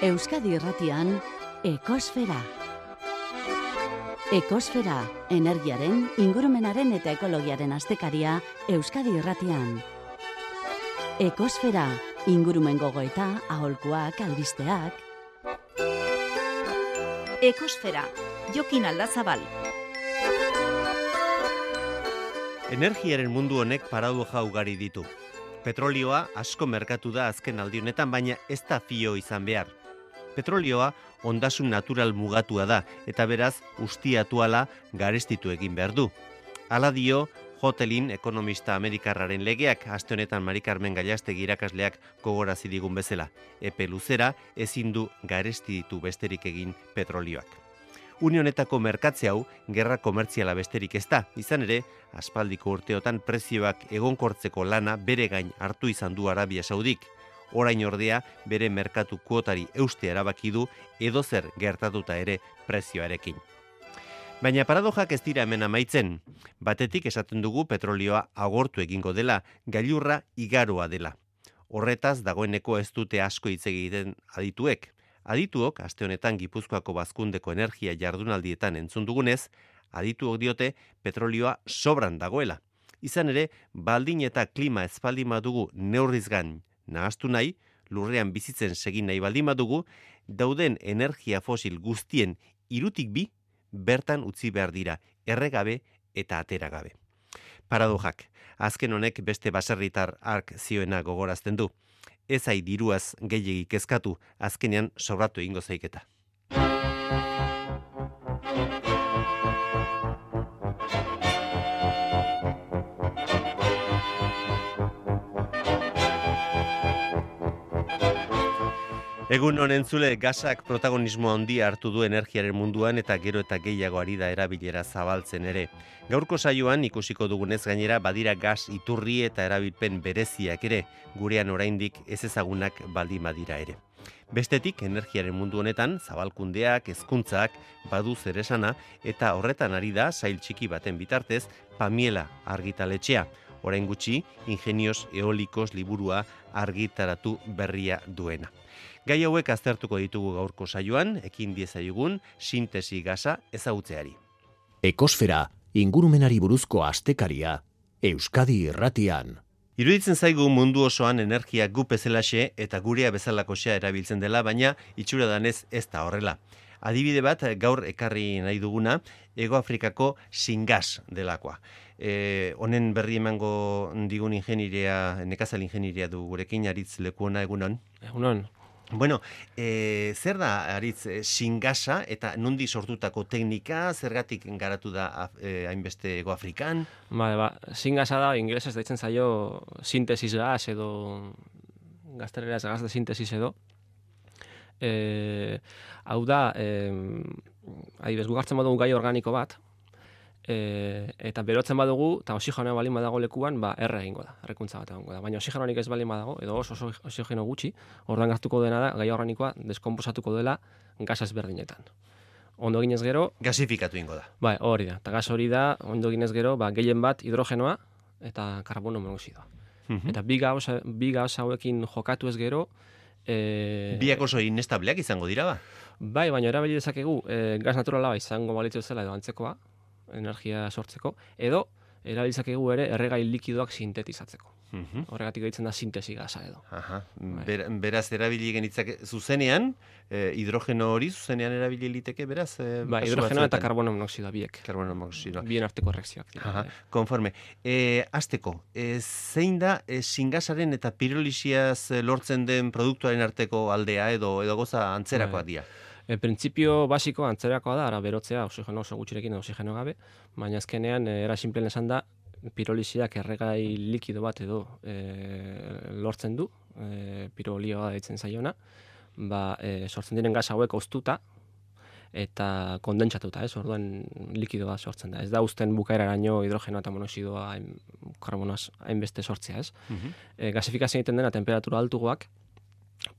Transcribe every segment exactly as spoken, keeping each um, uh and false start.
Euskadi Irratian, Ekosfera. Ekosfera, energiaren, ingurumenaren eta ekologiaren astekaria Euskadi Irratian. Ekosfera, ingurumen gogoeta, aholkuak, albisteak. Ekosfera, Jokin Aldazabal. Energiaren mundu honek paradoja ugari ditu. Petrolioa asko merkatu da azken aldi honetan, baina ez da fio izan behar. Petrolioa ondasun natural mugatua da, eta beraz ustiatuala garestitu egin behar du. Hala dio Hotelin ekonomista amerikarraren legeak, aste honetan Mari Carmen Gallastegi irakasleak gogorarazi digun bezala. Epe luzera ezin du garestitu besterik egin petrolioak. Une honetako merkatze hau gerra komertziala besterik ez da, izan ere, aspaldiko urteotan prezioak egonkortzeko lana bere gain hartu izan du Arabia Saudik. Orain ordea bere merkatu kuotari eustea erabaki du edozer gertatuta ere prezioarekin. Baina paradojak ez dira hemen amaitzen. Batetik esaten dugu petrolioa agortu egingo dela, gailurra igaroa dela. Horretaz dagoeneko ez dute asko hitz egiten adituek. Adituok, aste honetan Gipuzkoako Bazkundeko energia jardunaldietan entzun dugunez, adituok diote petrolioa sobran dagoela. Izan ere, baldin eta klima ez baldin badugu neurriz gain nahastu nahi, lurrean bizitzen segin nahi baldin badugu, dauden energia fosil guztien hirutik bi bertan utzi behar dira, erregabe eta ateragabe. Paradojak, azken honek beste baserritar ark zioena gogorazten du. Ez ai diruaz gehiegi kezkatu, azkenean sobratu egingo zaiketa. Egun honen zule, gasak protagonismo handia hartu du energiaren munduan eta gero eta gehiago ari da erabilera zabaltzen ere. Gaurko saioan ikusiko dugunez gainera badira gas iturri eta erabilpen bereziak ere, gurean oraindik ez ezagunak baldin badira ere. Bestetik, energiaren mundu honetan, zabalkundeak, hezkuntzak, badu zeresana eta horretan ari da sail txiki baten bitartez Pamiela argitaletxea. Orain gutxi, Ingenios Eolikos liburua argitaratu berria duena. Gai hauek aztertuko ditugu gaurko saioan, ekin diezaiogun sintesi gasa ezagutzeari. Ekosfera, ingurumenari buruzko astekaria, Euskadi Irratian. Iruditzen zaigu mundu osoan energia gu bezalaxe eta gurea bezalakoxea erabiltzen dela, baina itxura danez ez da horrela. Adibide bat gaur ekarri nahi duguna, Hego Afrikako Singas delakoa. E, honen berri emango digun ingenieria, nekazal ingenieria du gurekin, Aritz Lekuona, egunon? Egunon. Bueno, e, zer da, Aritz, e, Singasa eta nundi sortutako teknika, zergatik garatu da e, hainbeste Hego Afrikan? Ba, ba, Singasa da, ingelesez deitzen zaio sintesis gas edo, gazteleraz gas de sintesis edo. E, hau da, e, adibes, gugartzen badugu gai organiko bat, e, eta berotzen badugu, eta oxigenoa balin badago lekuan, ba, erre egingo da, errekuntza bat egingo da. Baina oxigenoanik ez balin badago, edo oso oxigeno gutxi, ordan hartuko dena da, gai organikoa deskonposatuko dela gas ezberdinetan. Ondo ginez gero... Gasifikatu ingo da. Bai, hori da. Eta gas hori da, ondo ginez gero, ba, gehien bat hidrogenoa eta karbono monoxidoa. Uh-huh. Eta bi gauz, bi gauz hauekin jokatu ez gero... E... Biak oso inestableak izango dira ba? Bai, baina erabili dezakegu e, gas naturala izango balitzu zela edo antzekoa, energia sortzeko, edo erabili dezakegu ere erregai likidoak sintetizatzeko. Uh-huh. Horregatik deitzen da sintesi gasa edo. Aha. Ber, beraz erabili genitzake zuzenean, eh, hidrogeno hori zuzenean erabili liteke beraz? Eh, bai, hidrogeno eta karbono monoxidoa biek. Karbono monoxidoa. Bien arteko reakzioak. Aha, konforme. E, azteko, e, zein da e, singasaren eta pirolisiaz lortzen den produktuaren arteko aldea edo edo goza antzerakoa dira? E, Printzipio basiko antzerakoa da, ara berotzea oxigeno oso gutxirekin edo oxigeno gabe, baina azkenean e, era simplen esan da, pirolisiak erregai likido bat edo e, lortzen du, e, pirolioa deitzen zaiona, ba, e, sortzen diren gas hauek oztuta eta kondentsatuta, ez, orduan likidoa sortzen da. Ez da uzten bukaeraraino hidrogenoa eta monoxidoa hain, karbonoaz hainbeste sortzea, ez. Uh-huh. E, gasifikazioa egiten dena temperatura altugoak,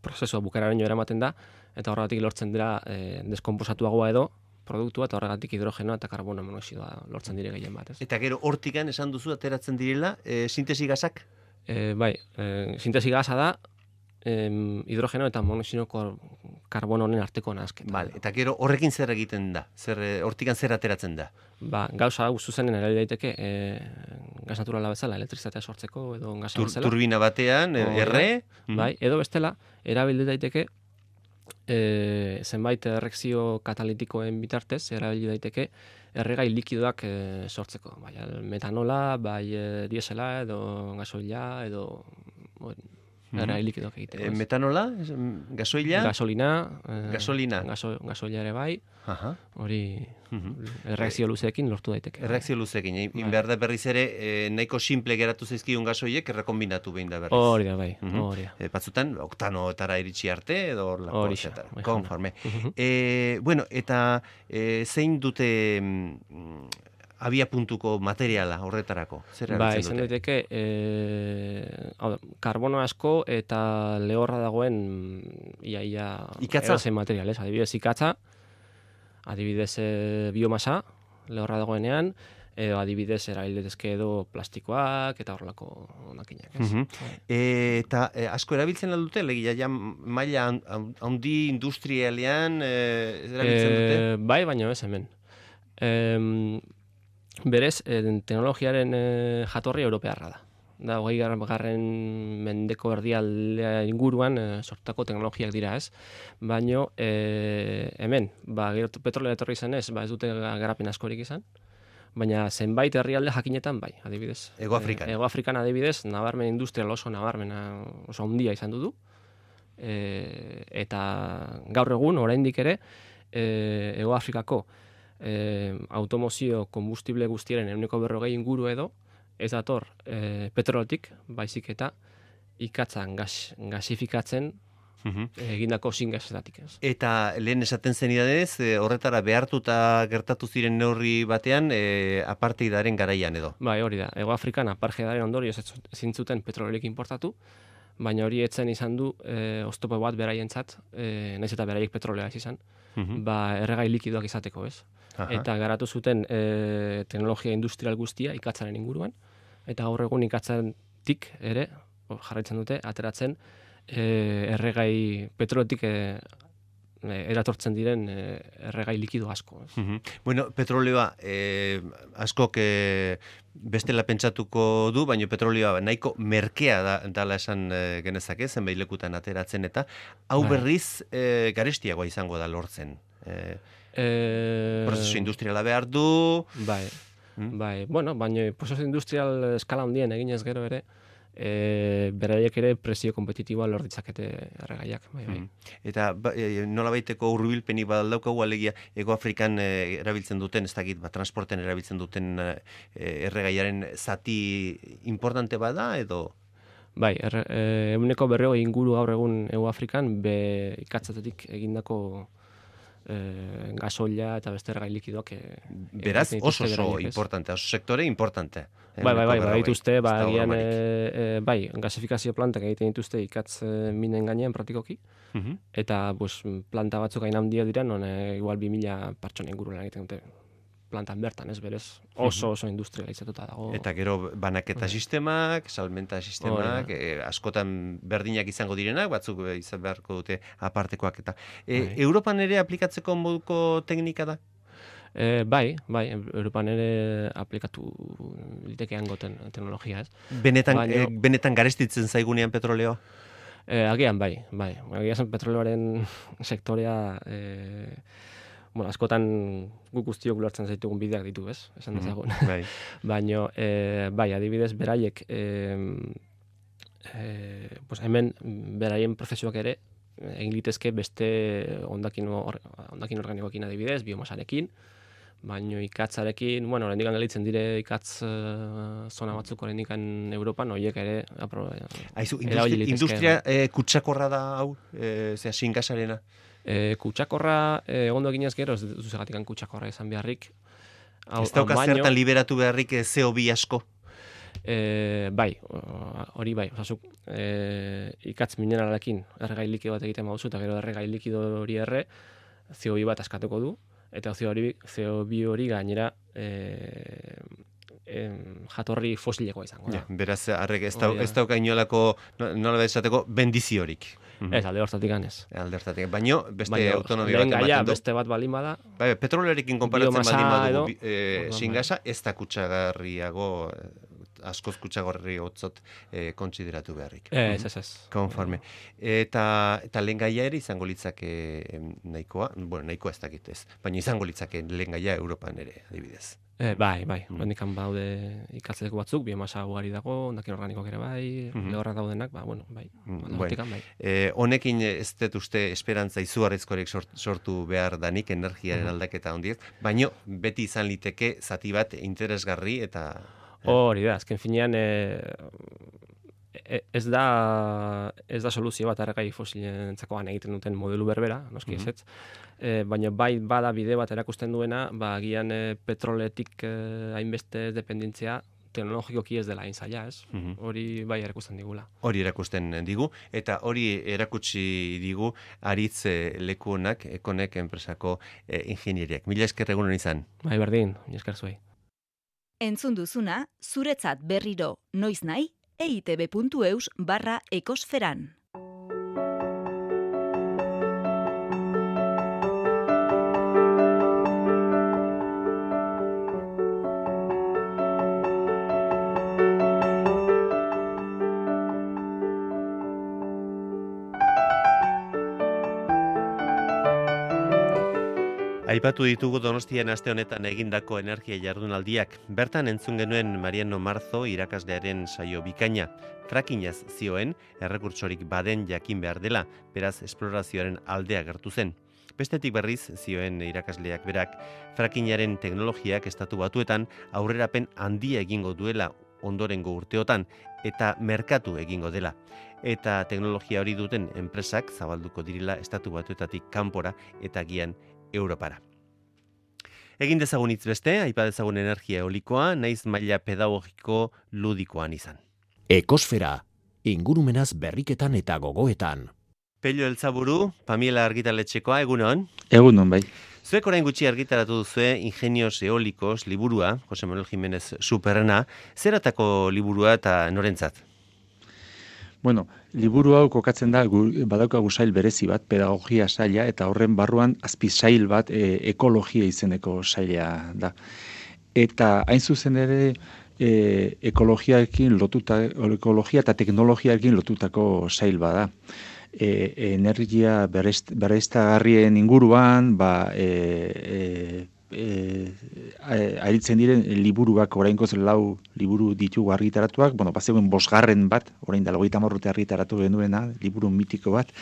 prozesua bukaeraraino eramaten da, eta horregatik lortzen dira e, deskonposatuagoa edo, produktua eta horregatik hidrogenoa eta karbono monoxidoa lortzen dire gehien bat, ez? Eta gero hortikan esan duzu ateratzen direla e, sintesi gasak? E, bai, e, sintesi gasa da e, hidrogeno eta monoxido karbono honen arteko nahasketa. Vale, eta gero horrekin zer egiten da? Zer, eh, hortikan zer ateratzen da? Ba, gauza hau zuzenen erabili daiteke e, gas naturala bezala, elektrizitatea sortzeko edo gasa Tur, bezala. turbina batean, eh, Hori da. erre? Bai, edo bestela, erabili daiteke e, zenbait erreakzio katalitikoen bitartez, erabili daiteke erregai likidoak e, sortzeko. Bai, metanola, bai e, diesela, edo gasoila, edo erregai likidoak egiteko. E, ez? metanola, es- gasoila? Gasolina, e, Gasolina. gaso, gasoila ere bai, Aha. hori Mhm. erreakzio luzeekin lortu daiteke. Erreakzio luzekin, in Bai. behar da berriz ere, eh, nahiko simple geratu zaizkigun gasoiek errekombinatu behin da berriz. Hori da, bai, Mhm. hori da. E, batzutan, oktanoetara iritsi arte, edo hor lako Horixe, etcétera. bai, Konforme. Mhm. E, bueno, eta e, zein dute mm, abia puntuko materiala horretarako? Zer Ba, erabiltzen izan dute? daiteke, e, hau da, karbono asko eta lehorra dagoen iaia Ikatza? edozein material, ez? Adibidez ikatza, adibidez e, biomasa, lehorra dagoenean, edo adibidez erabiltezke edo plastikoak eta horrelako honakinak, ez? Mhm. Bai. E, eta e, asko erabiltzen aldute, legia ja maila han- han- handi industrialean e, erabiltzen dute? E, bai, baina ez hemen. E, berez, e, teknologiaren e, jatorri europearra da. Da, hogei garren mendeko erdialdea inguruan e, sortutako teknologiak dira, ez? Baino, e, hemen, ba, gero petrolea etorri zenez, ba, ez dute garapen askorik izan, baina zenbait herrialde jakinetan bai, adibidez. Hego Afrikan. E, Hego Afrikan adibidez, nabarmen industrial oso nabarmena, oso handia izan du du. E, eta gaur egun, oraindik ere, e, Hego Afrikako e, automozio konbustible guztiaren ehuneko berrogei inguru edo, ez dator e, petrolotik, baizik eta ikatzan gas, gasifikatzen Mhm. egindako zingasetatik, ez. Eta lehen esaten zenidadez, e, horretara behartuta gertatu ziren neurri batean, e, apartheidaren garaian edo. Bai, hori da. Hego Afrikan apartheidaren ondorioz ez ezin zuten petroliorik importatu, baina hori etzen izan du e, oztopo bat beraientzat, e, naiz eta beraiek petrolea ez izan, Mhm. ba, erregai likidoak izateko, ez? Aha. Eta garatu zuten e, teknologia industrial guztia ikatzaren inguruan, eta gaur egun ikatzatik ere, o, jarraitzen dute, ateratzen e, erregai petroletik e, e, eratortzen diren e, erregai likido asko. Ez? Mhm. Bueno, petroleoa eh, askok eh, bestela pentsatuko du, baina petroleoa nahiko merkea da, dala esan eh, genezake, zenbait lekutan ateratzen eta hau Bai. berriz eh, garestiagoa izango da lortzen. Eh, E, prozesu industriala behar du, Bai, Mm. bai. Bueno, baina prozesu industrial eskala handien eginez gero ere, e, beraiek ere prezio kompetitiboa lor ditzakete erregaiak. Bai, bai. Mhm. Eta ba, e, nolabaiteko hurbilpenik badaukagu alegia Hego Afrikan e, erabiltzen duten, ez dakit, ba, transporten erabiltzen duten e, erregaiaren zati importante bada edo? Bai, er, e, eguneko berrogei inguru gaur egun Hego Afrikan be ikatzatetik egindako e, gasoila eta beste erregai likidoak e, Beraz, egiten oso dituzte oso beraiek, ez? importante, oso sektore importante. Bai, bai, bai, bai, dituzte, ba, Ez dago agian, bromarik. e, e, bai, gasifikazio plantak egiten dituzte ikatz e, minen gainean praktikoki, Mhm. eta pues, planta batzuk hain handia dira, non e, igual bi mila pertsona inguruen egiten dute plantan bertan, ez berez, oso oso industrializatuta dago. Eta gero banaketa Bai. sistemak, salmenta sistemak, Hori e, askotan berdinak izango direnak, batzuk e, izan beharko dute apartekoak eta. E, Bai. Europan ere aplikatzeko moduko teknika da? E, bai, bai, Europan ere aplikatu litekean goten teknologia, ez? Benetan, Baina- e, benetan garestitzen zaigunean petroleoa? E, agian bai, bai. Agian zen petroleoaren sektorea e, bueno, askotan guk guztiok ulertzen zaitugun bideak ditu, ez? Esan dezagun. Bai. Baino, e, bai, adibidez, beraiek e, e, pues hemen beraien prozesuak ere egin litezke beste ondakin, or, ondakin organikoekin adibidez, biomasarekin, baino ikatzarekin, bueno, oraindik gelditzen dire ikatz uh, zona batzuk oraindik Europan, horiek ere apro, Aizu, erabili industria, litezke, industria e, kutsakorra da hau, e, zera, singasarena? E, kutsakorra e, ondo eginez gero, ez duzu zegatikan kutsakorra izan beharrik. Hau- Ez dauka hau baino, zertan liberatu beharrik e, C O bi asko? E, bai, o- hori bai, osasuk, e, ikatz mineralekin erregai likido bat egiten baduzu, eta gero erregai likido hori erre, C O bi bat askatuko du, eta C O bi, C O bi hori gainera e, em, jatorri fosilekoa izango da. Ja, beraz, arrek ez, dau, Hori da. ez dauka inolako, no- nola esateko, bendiziorik. Ez, alde hortatik ganez. Alde hortatik, baino beste Baina, autonomia lehen bat gaia, ematen du. beste bat balin bada, Bai, petrolearekin konparatzen biomasa baldin badugu, edo, bi- eh, orduan, xingasa ez da kutsagarriago, eh, askoz kutsagarri hotzot eh, kontsideratu beharrik. ez, ez, ez. Konforme. Eta, eta lehen gaia ere izango litzake em, nahikoa, bueno, nahikoa ez dakit ez, baina izango litzake lehen gaia Europan ere, adibidez. E, bai, bai, Mm. horrendikan baude ikatzeko batzuk, biomasa ugari dago, ondakin organikoak ere bai, Mhm. lehorrak daudenak, ba, bueno, bai, Mm, alde bueno. hortikan, bai. Eh, honekin ez dut uste esperantza izugarrizkorek sort, sortu behar danik energiaren Mhm. aldaketa hondiez, baino beti izan liteke zati bat interesgarri eta... Hori da, azken finean, e, e- ez da ez da soluzio bat erregai fosilentzakoan egiten duten modelu berbera, noski Mhm. ezetz. E, baina bai bada bide bat erakusten duena, ba agian e, petroletik e, hainbeste dependentzia teknologikoki ez dela hain zaila, ez? Mhm. Hori bai erakusten digula. Hori erakusten digu, eta hori erakutsi digu aritz eh, leku honak, ekonek enpresako eh, ingenieriak. Mila esker egunon izan. Bai, berdin, mila esker zuei. Entzun duzuna, zuretzat berriro noiz nahi, eitb.eus barra ekosferan. Aipatu ditugu Donostian aste honetan egindako energia jardunaldiak. Bertan entzun genuen Mariano Marzo irakaslearen saio bikaina. Frackingaz zioen, errekurtsorik baden jakin behar dela, beraz esplorazioaren aldea gertu zen. Bestetik berriz, zioen irakasleak berak, frackingaren teknologiak estatu batuetan aurrerapen handia egingo duela ondorengo urteotan eta merkatu egingo dela. Eta teknologia hori duten enpresak zabalduko direla estatu batuetatik kanpora eta gian Europara. Egin dezagun hitz beste, aipa dezagun energia eolikoa, naiz maila pedagogiko ludikoan izan. Ekosfera, ingurumenaz berriketan eta gogoetan. Pello Eltzaburu, Pamiela argitaletxekoa, egunon. Egunon, bai. Zuek orain gutxi argitaratu duzue Ingenios Eolikos liburua, Jose Manuel Jimenez Superrena, zeratako liburua eta norentzat? Bueno, liburu hau kokatzen da, gu- badaukagu sail berezi bat, pedagogia saila, eta horren barruan azpi sail bat e, ekologia izeneko saila da. Eta hain zuzen ere, e, ekologiaekin lotuta, ekologia eta teknologiaekin lotutako sail bada. E, energia berrezt- berriztagarrien inguruan, ba, e, e, E, aritzen diren liburuak orainkoz lau liburu ditugu argitaratuak, bueno, bazegoen bosgarren bat, orain da hogeita hamar urte argitaratu genuena, liburu mitiko bat,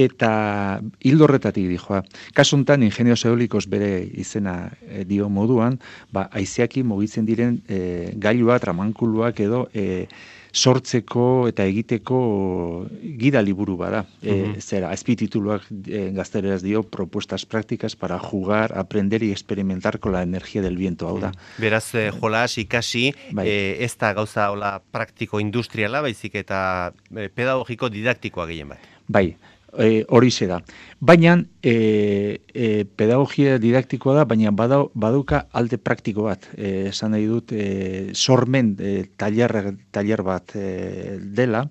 eta hildo horretatik dijoa. Kasu honetan, Ingenios Eolikos bere izena e, dio moduan, ba, haizeaki mugitzen diren e, gailua, tramankuluak edo e, sortzeko eta egiteko gida liburu bada. E, zera, azpitituluak e, gazteleraz dio, propuestas prácticas para jugar, aprender y experimentar con la energía del viento, hau da. Beraz, eh, jolas, ikasi, Bai. eh, ez da gauza hola praktiko industriala, baizik eta eh, pedagogiko didaktikoa gehien bat. Bai, e, horixe da. Baina, e, e, pedagogia didaktikoa da, baina badau, baduka alde praktiko bat. E, esan nahi dut, e, sormen e, tailer, tailer bat e, dela,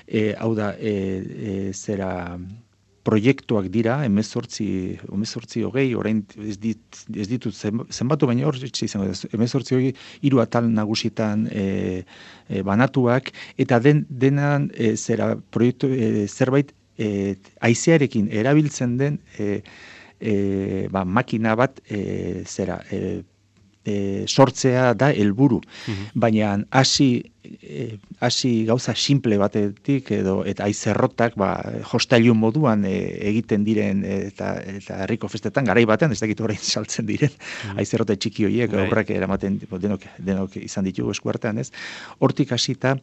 e, hau da, e, e, zera proiektuak dira, emezortzi, emezortzi hogei, orain ez, dit, ez ditut zen- zenbatu, baina hor izango da, emezortzi hogei, hiru atal nagusitan e, e, banatuak, eta den, denan e, zera proiektu, e, zerbait e, haizearekin erabiltzen den e, e, ba, makina bat e, zera e, e, sortzea da helburu. Baina hasi e, hasi gauza simple batetik edo eta haizerrotak ba jostailu moduan e, egiten diren eta eta herriko festetan garai batean ez dakit orain saltzen diren haizerrote txiki horiek Bai. aurrak eramaten denok denok izan ditugu eskuartean, ez? Hortik hasita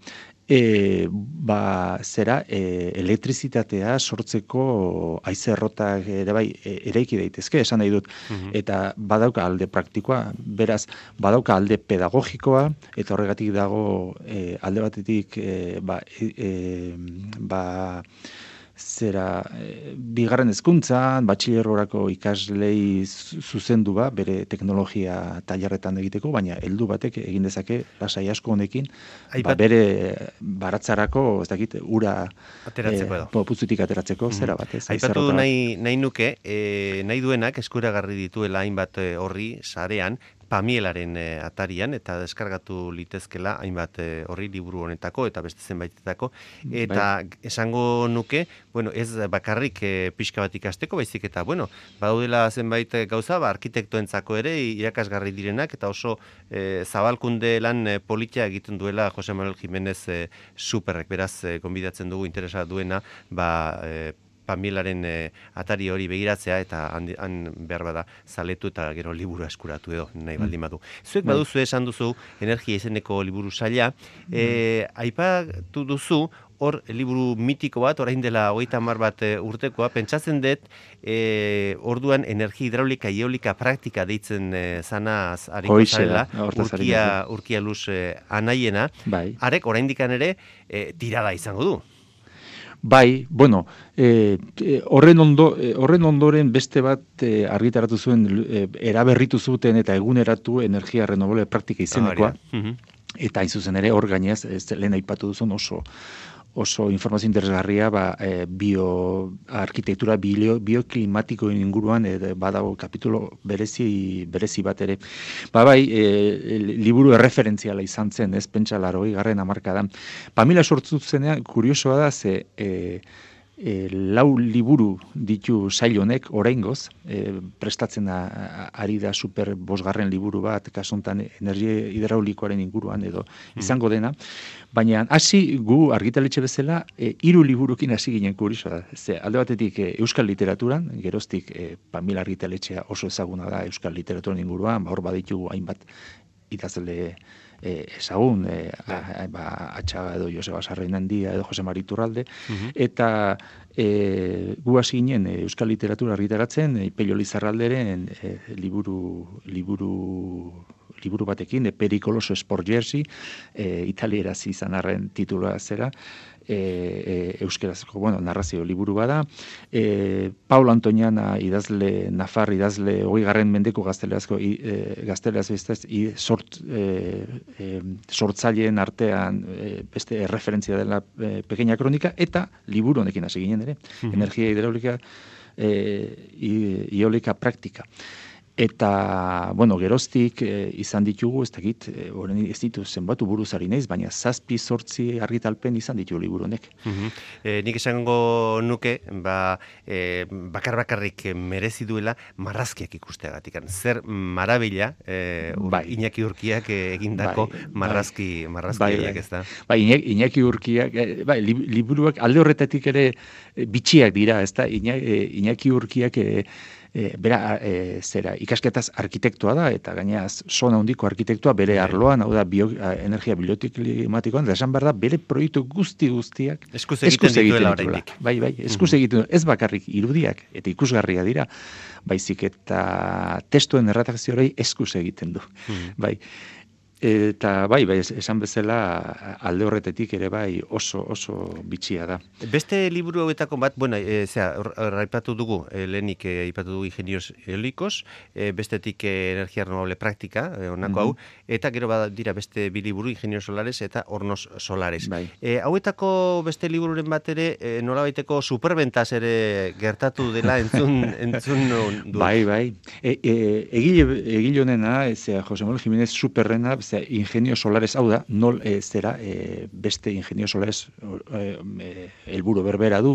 e, ba, zera e, elektrizitatea sortzeko haizerrotak ere bai e, eraiki daitezke, esan nahi dut. Eta badauka alde praktikoa, beraz, badauka alde pedagogikoa, eta horregatik dago e, alde batetik e, ba, e, e, ba, zera e, bigarren hezkuntzan, batxilergorako ikaslei zuzendu ba, bere teknologia tailerretan egiteko, baina heldu batek egin dezake lasai asko honekin, ba, bere baratzarako, ez dakit, ura ateratzeko edo. E, puzutik ateratzeko, mm-hmm. zera bat, ez? Aipatu nahi, nahi nuke, e, nahi duenak eskuragarri dituela hainbat horri sarean, Pamielaren e, atarian, eta deskargatu litezkela hainbat e, horri liburu honetako, eta beste zenbaitetako, eta bai. Esango nuke, bueno, ez bakarrik e, pixka bat ikasteko, baizik eta, bueno, badaudela zenbait gauza, ba, arkitektoentzako ere irakasgarri direnak, eta oso e, zabalkunde lan e, politia egiten duela Jose Manuel Jimenez e, Superrek, beraz, e, konbidatzen dugu interesa duena, ba, e, Pamielaren e, atari hori begiratzea eta han, han behar bada zaletu eta gero liburu eskuratu edo nahi baldin badu. Zuek baduzu esan duzu energia izeneko liburu saila, e, aipatu duzu hor liburu mitiko bat, orain dela hogeita hamar bat urtekoa, pentsatzen dut e, orduan energia hidraulika, eolika praktika deitzen e, zanaz hariko zarela, urkia, urkia luz e, anaiena, bai. Arek oraindikan ere e, tirada izango du. Bai, bueno, e, horren, ondo, e, horren ondoren beste bat e, argitaratu zuen e, eraberritu zuten eta eguneratu energia renovable praktika izenekoa. Ah, eta hain zuzen ere hor gainez, ez lehen aipatu duzun oso oso informazio interesgarria ba, e, bio arkitektura bio, bioklimatikoen inguruan e, badago kapitulo berezi berezi bat ere. Ba bai, e, liburu erreferentziala izan zen, ez pentsa laurogei garren hamarkadan. Pamela sortu zenean kuriosoa da ze e, E, lau liburu ditu sail honek oraingoz, e, prestatzen da, ari da super bosgarren liburu bat, kasuntan energia hidraulikoaren inguruan edo izango dena, baina hasi gu argitaletxe bezala e, hiru liburukin hasi ginen kuriosoa da. Ze, alde batetik e, euskal literaturan, geroztik e, Pamela argitaletxea oso ezaguna da euskal literaturan inguruan, ba, hor baditugu hainbat idazle E, ezagun, e, a, ba, Atxaga edo Joseba Sarrainandia edo Jose Mari Iturralde, uh-huh. eta e, gu hasi ginen e, euskal literatura argitaratzen, e, Pello Lizarralderen e, liburu, liburu, liburu batekin, e, Pericoloso Sport Jersey, e, italieraz izan arren titula zera, e, e, euskerazko, bueno, narrazio liburu bada, e, Paulo Antoniana idazle, Nafar idazle, hogei garren mendeko gazteleazko, e, gazteleaz bestez, i, sort, e, e, sortzaileen artean e, beste referentzia dela e, pequeña kronika, eta liburu honekin hasi ginen ere, uh-huh. energia hidraulika, e, iolika praktika. Eta, bueno, geroztik e, izan ditugu, ez dakit, e, ez ditu zenbatu buruzari naiz, baina zazpi zortzi argitalpen izan ditu liburu honek. Uh-huh. E, nik esango nuke, ba, e, bakar-bakarrik merezi duela marrazkiak ikusteagatik. Zer marabila, e, bai. Iñaki Urkiak egindako bai, marrazki, bai. marrazki bai, bai. Ez da? Bai, Iñaki Urkiak, bai, liburuak alde horretatik ere bitxiak dira, ez da? Iñaki Urkiak e, E, bera, e, zera, ikasketaz arkitektua da, eta gainaz zona handiko arkitektua bere arloan, hau da, bio, energia bioklimatikoan, da esan behar da, bere proiektu guzti guztiak eskuz egiten dituela oraindik. Bai, bai, eskuz egiten ez bakarrik irudiak, eta ikusgarria dira, baizik eta testuen erredakziorei eskuz egiten du. Mm. Bai. Eta bai, bai, esan bezala alde horretetik ere bai oso oso bitxia da. Beste liburu hauetako bat, bueno, e, zera, aipatu dugu, e, lehenik e, aipatu dugu ingenios eolikos, e, bestetik e, energia renovable praktika, e, onako hau, mm-hmm. eta gero bada dira beste bi liburu, ingenios solares eta hornos solares. Bai. E, hauetako beste libururen bat ere, e, nolabaiteko superbentas ere gertatu dela entzun, entzun du. Bai, bai. E, e, egile, egile honena, zera, Jose Manuel Jimenez Superrena, ingenio solares, hau da, nol e, zera, e, beste ingenio solares helburu e, berbera du,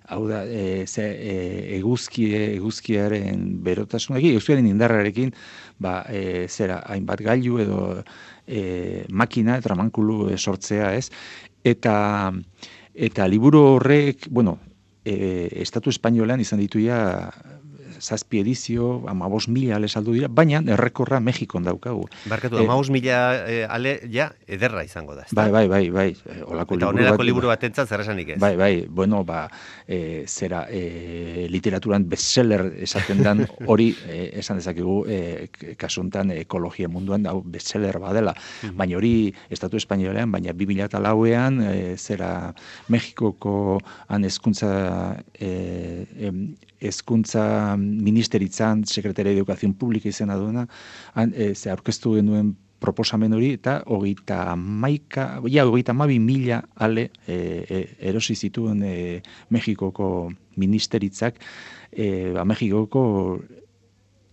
hau da, e, ze, e, eguzki, eguzkiaren berotasunekin, eguzkiaren indarrarekin, ba, e, zera, hainbat gailu edo e, makina, tramankulu e, sortzea, ez? Eta, eta liburu horrek, bueno, e, Estatu Espainolean izan dituia zazpi edizio, amabos mila ale saldu dira, baina errekorra Mexikon daukagu. Barkatu, Eh, amabos mila eh, ale, ja, ederra izango da. ezta? Bai, bai, bai, bai. eh, Olako Eta liburu onerako bat- liburu batentzat zer esanik ez. Bai, bai, bueno, ba, e, zera, e, literaturan bestseller esaten dan, hori e, esan dezakegu, e, kasuntan ekologia munduan, hau bestseller badela, baina hori Estatu Espainolean, baina bi mila lauean, e, zera, Mexikoko han hezkuntza e, em, hezkuntza ministeritzan, Sekretariat de Educación Pública izena duena, han, e, ze aurkeztu genuen proposamen hori, eta hogeita maika, ja, hogeita mabi mila ale e, e, erosi zituen e, Mexikoko ministeritzak, e, ba, Mexikoko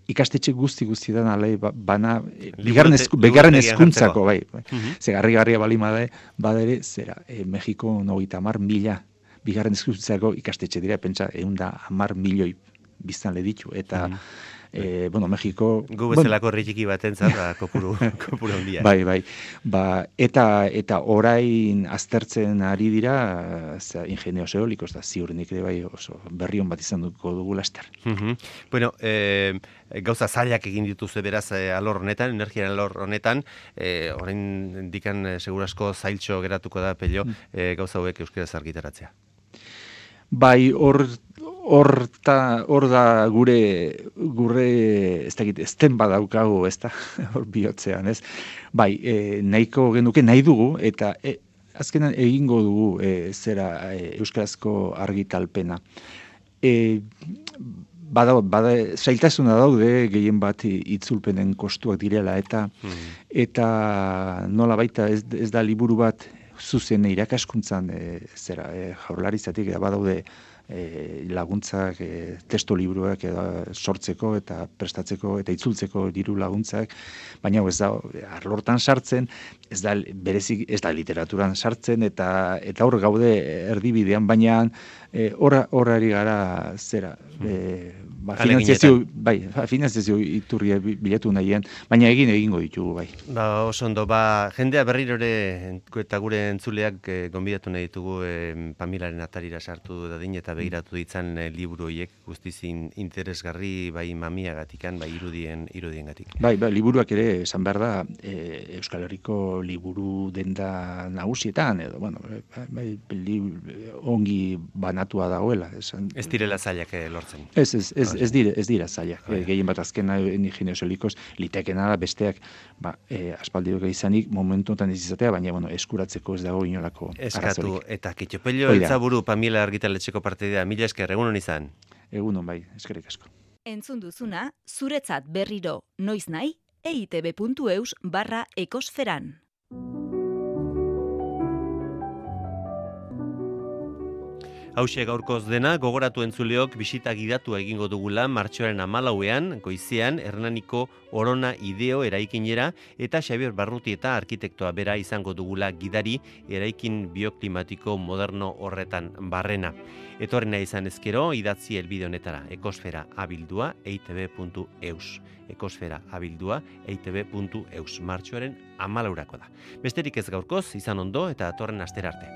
ikastetxe guzti guztietan ale ba- bana e, bigarren Liburute- esku- bigarren liburutegian hezkuntzako, bai. bai. Mhm. Ze garri-garria bali bade, badere, zera, e, Mexiko hogeita hamar mila bigarren hezkuntzako ikastetxe dira, pentsa, ehun da hamar milioi biztanle ditu, eta e, bueno, Mexiko... Gu bueno, bezalako herri txiki batentzat, ba, kopuru, kopuru handia. Bai, bai. Ba, eta eta orain aztertzen ari dira za ingenios eolikos da ziurrenik ere bai oso berri on bat izan duko dugu laster. Mhm. Bueno, eh, gauza zailak egin dituzue beraz eh, alor honetan, energiaren alor honetan, eh, orain dikan eh, segurasko zailtxo geratuko da pello eh, gauza hauek euskaraz argitaratzea. Bai, hor horta hor da gure gure ez dakit ezten badaukagu, ezta? Hor bihotzean, ez? Bai, e, nahiko genuke nahi dugu eta e, azkenan egingo dugu e, zera e, euskarazko argitalpena. E, bada, bada, zailtasuna daude gehien bat itzulpenen kostuak direla eta eta nola baita ez, ez da liburu bat zuzen irakaskuntzan e, zera e, jaurlaritzatik badaude e, laguntzak, e, testo liburuak edo sortzeko eta prestatzeko eta itzultzeko diru laguntzak, baina ez da arlortan sartzen, ez da berezik ez da literaturan sartzen eta eta hor gaude erdibidean, baina e, horra horari gara zera e, ba, finanziazio, bai, finanziazio iturria bilatu nahien, baina egin egingo ditugu, bai. Ba, oso ondo, ba, jendea berriro ere eta gure entzuleak eh, gonbidatu nahi ditugu eh, Pamilaren atarira sartu dadin eta begiratu ditzan eh, liburu horiek guztizin interesgarri bai mamiagatikan, bai irudien irudiengatik. Bai, bai, liburuak ere esan behar da e, Euskal Herriko liburu denda nagusietan edo bueno, bai, li, ongi banatua dagoela, esan. Ez direla zailak eh, lortzen. Ez, ez, ez, ez dira, ez dira zailak. E, gehien bat azkena ingenios eolikos litekena da besteak, ba, e, aspaldiko izanik momentu honetan ez izatea, baina bueno, eskuratzeko ez dago inolako Eskatu arazorik. eta kitxopello Hori da. eltzaburu Pamila argitaletxeko partidea, mila esker, egunon izan. Egunon bai, eskerrik asko. Entzun duzuna, zuretzat berriro noiz nahi, eitb.eus barra ekosferan. Hauxe gaurkoz dena, gogoratu entzuleok bisita gidatua egingo dugula martxoaren hamalauean, goizean, Hernaniko Orona Ideo eraikinera eta Xabier Barruti eta arkitektoa bera izango dugula gidari eraikin bioklimatiko moderno horretan barrena. Etorrena izan ezkero, idatzi helbide honetara, ekosfera abildua eitb.eus. Ekosfera abildua eitb.eus. Martxoaren hamalaurako da. Besterik ez gaurkoz, izan ondo eta atorren astera arte.